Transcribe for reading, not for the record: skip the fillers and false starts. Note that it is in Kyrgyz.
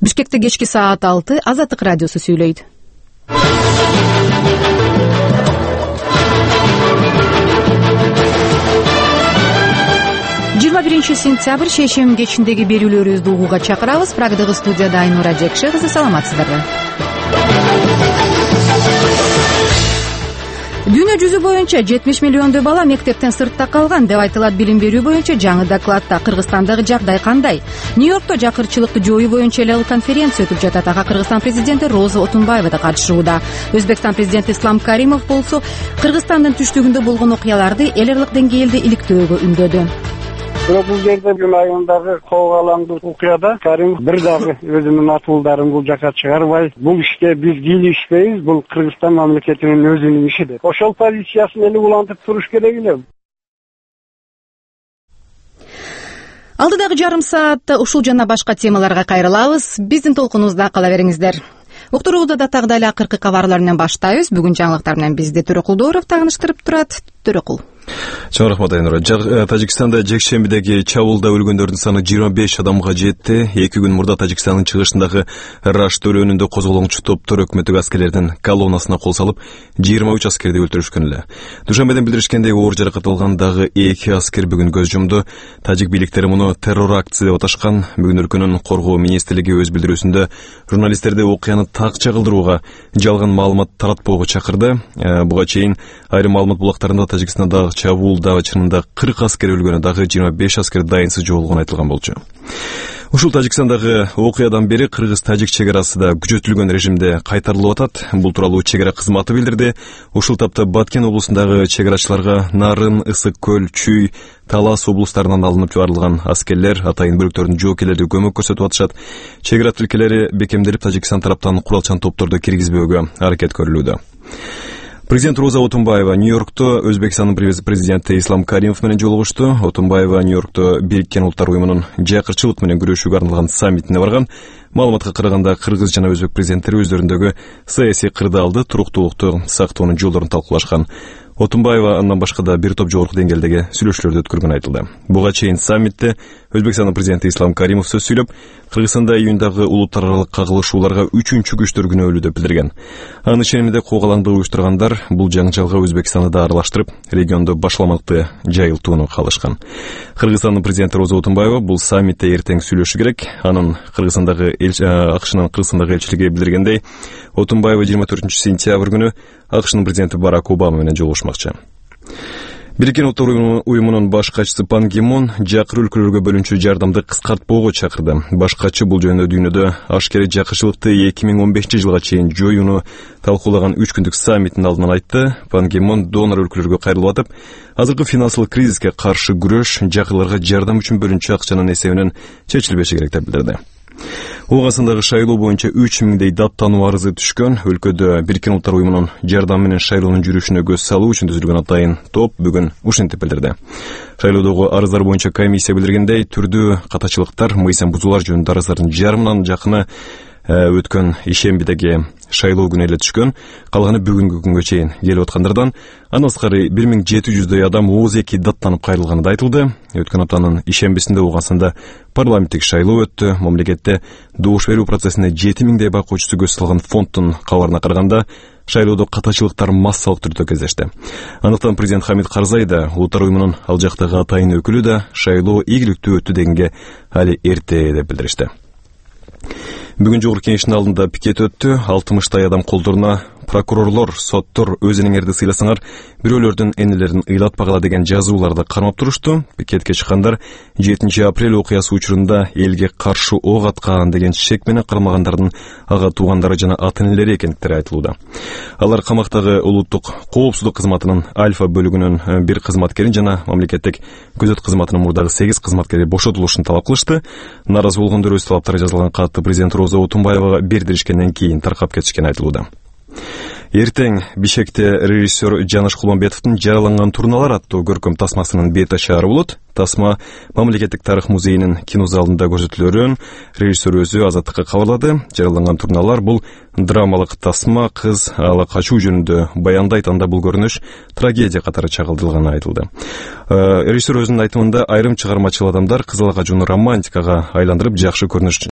Бишкекте кечки саат 6 Азаттык радиосу сүйлөйт. 21 сентябрь шейшемби кечиндеги берүүлөрүбүздү угууга чакырабыз. Прагдагы студияда Айнура Жекше кызы, саламатсыздарбы? Дүйнө жүзү боюнча 70 миллиондой бала мектептен сыртта калган деп айтылат. Билим берүү боюнча жаңы докладта Кыргызстандагы жагдай кандай? Нью-Йоркто жакырчылыкты жоюу боюнча эле конференция өтүп жатат. Ага Кыргызстан президенти Роза Отунбаева да катышууда. Өзбекстан президенти Ислам Каримов болсо Кыргызстандын түштүгүндө болгон окуяларды эл аралык деңгээлде иликтөөгө үндөдү. Бирок бул жерде бүгүн айылдагы кол алаңдуу окуяда Каримов бир дагы өзүнүн атуулдарын бул жака чыгарбай, бул ишке биз кийлишпейбиз, бул Кыргызстан мамлекетинин өзүнүн иши деп. Ошол позициясын эли улантып туруш керек эле. Алдыдагы жарым саатта ушул жана башка темаларга кайрылабыз. Биздин толкунубузда кала бериңиздер. Уктуруубузду датагдагы эле акыркы кабарлар менен баштайбыз. Бүгүн жаңылыктар менен бизди Төрөкул Дооров тааныштырып турат. Төрөкул. Чоң рахмат, Айнура. Тажикстанда жекшембидеги чабуулда өлгөндөрдүн саны 25 адамга жетти. 2 күн мурда Тажикстандын чыгышындагы Рашт өлкөнүндө козголоңчу топтор өкмөттүк аскерлердин колоннасына кол салып, 23 аскерди өлтүрүшкөн эле. Душанбеден билдиришкендей, оор жаракат алган дагы 2 аскер бүгүн көз жумду. Тажик бийликтери муну террор акция деп аташкан. Бүгүн өлкөнүн коргоо министрлиги өз билдирүүсүндө журналисттерди окуяны так чагылдырууга, жалган маалымат таратпоого чакырды. Буга чейин айрым маалымат булактарында Тажикстанда чабуулда чынында 40 аскер өлгөнү, дагы 25 аскер дайынсыз жоголгону айтылган болчу. Ушул Тажикстандагы окуядан бери кыргыз-тажик чек арасы да күчөтүлгөн режимде кайтарылып атат. Бул тууралуу чек ара кызматы билдирди. Ушул тапта Баткен облусундагы чек арачыларга Нарын, Ысык көл, Чүй, Талас облустарынан алынып жибарылган аскерлер, атайын бөлүктөрдүн жоокерлери көмөк көрсөтүп атышат. Чек ара тилкелери бекемделип, Тажикстан тараптан куралчан топторду киргизбөөгө аракет көрүлүүдө. Президент Роза Отунбаева Нью-Йоркто Өзбекстандын президенти Ислам Каримов менен жолугушту. Отунбаева Нью-Йоркто Бириккен Улуттар уюмунун жакырчылык менен күрөшүүгө арналган саммитине барган. Маалыматка караганда, кыргыз жана өзбек президенттери өздөрүндөгү саясий кырдаалды, туруктуулукту сактоонун жолдорун талкуулашкан. Отунбаева андан башка да бир топ жогорку деңгээлдеги сүйлөшүүлөрдү өткөргөнү айтылды. Буга чейин саммитте Өзбекстандын президенти Ислам Каримов сөз сүйлөп, Кыргызстанда июндагы улуттар аралык кагылышууларга 3-чү күчтөр күнөөлүү деп билдирген. Анын ишениминде куугалаңды уюштургандар бул жаңжалга Өзбекстанды да аралаштырып, региондо башламакты жайылтууну каалашкан. Кыргызстандын президенти Роза Отунбаева бул саммитте эртең сүйлөшү керек. Анын АКШнын Кыргызстандагы элчилиги билдиргендей, Отунбаева 24 сентябрь күнү АКШнын президенти Барак Обама менен жолугушмакчы. Бириккен Улуттар уюмунун баш катчысы Пан Ги Мун жакыр өлкөлөргө бөлүнчү жардамды кыскартпоого чакырды. Баш катчы бул жөнүндө дүйнөдө ашкере жакырчылыкты 2015-жылга чейин жоюуну талкуулаган 3 күндүк саммиттин алдынан айтты. Пан Ги Мун донор өлкөлөргө кайрылып атып, азыркы финансылык кризиске каршы күрөш жакырларга жардам үчүн бөлүнчү акчанын эсебинен чечилбеши керек деп билдирди. Ооганстандагы шайлоо боюнча 3000дей даттануу арызы түшкөн. Өлкөдө Бириккен Улуттар уюмунун жардамы менен шайлоонун жүрүшүнө көз салуу үчүн түзүлгөн атайын топ бүгүн ушинтип билдирди. Шайлоодогу арыздар боюнча комиссия билдиргендей, түрдүү катачылыктар, мыйзам бузуулар жөнүндө арыздардын жарымынан жакыны өткөн ишембидеги шайлоо күнү эле түшкөн. Калганы бүгүнкү күнгө чейин келип аткандардан. Андан сырткары 1700дөй адам ооз-эки даттанып кайрылганы да айтылды. Өткөн аптанын ишембисинде Ооганстанда парламенттик шайлоо өттү. Мамлекетте добуш берүү процессине 7000дей байкоочусу көз салган фонддун кабарына караганда, шайлоодо катачылыктар массалык түрдө кездешти. Андыктан президент Хамид Карзай да, Улуттар уюмунун ал жактагы атайын өкүлү да шайлоо ийгиликтүү өттү дегенге али эрте деп билдиришти. Бүгүн жогорку кеңештин алдында пикет өттү. 60 адам колдоруна прокурорлор, соттор өзүңөрдү сыйласаңар, бирөөлөрдүн энелерин ыйлатпагыла деген жазууларды кармап турушту. Пикетке чыккандар 7 апрель окуясы учурунда элге каршы ок аткан деген шек менен кармагандардын ага туугандары жана ата-энелери экендиктери айтылууда. Алар камактагы улуттук коопсуздук кызматынын Альфа бөлүгүнүн бир кызматкерин жана мамлекеттик көзөт кызматынын мурдагы 8 кызматкери бошотулушун талап кылышты. Наразы болгондор өз талаптары жазылган катты президент Роза Отунбаевага бердиришкенден кийин таркап кетишкени айтылууда. Эртең Бишкекте режиссер Жаныш Кулманбетовдун «Жараланган турналар» аттуу көркөм тасмасынын бет ачаары болот. Тасма Мамлекеттик тарых музейинин кинозалында көрсөтүлөрүн режиссер өзү Азаттыкка кабарлады. «Жараланган турналар» бул драмалык тасма, кыз ала качуу жөнүндө баяндайт. Анда бул көрүнүш трагедия катары чагылдырылганы айтылды. Режиссер өзүнүн айтымында айрым чыгармачыл адамдар кыз ала качууну романтикага айландырып, жакшы көрүнүш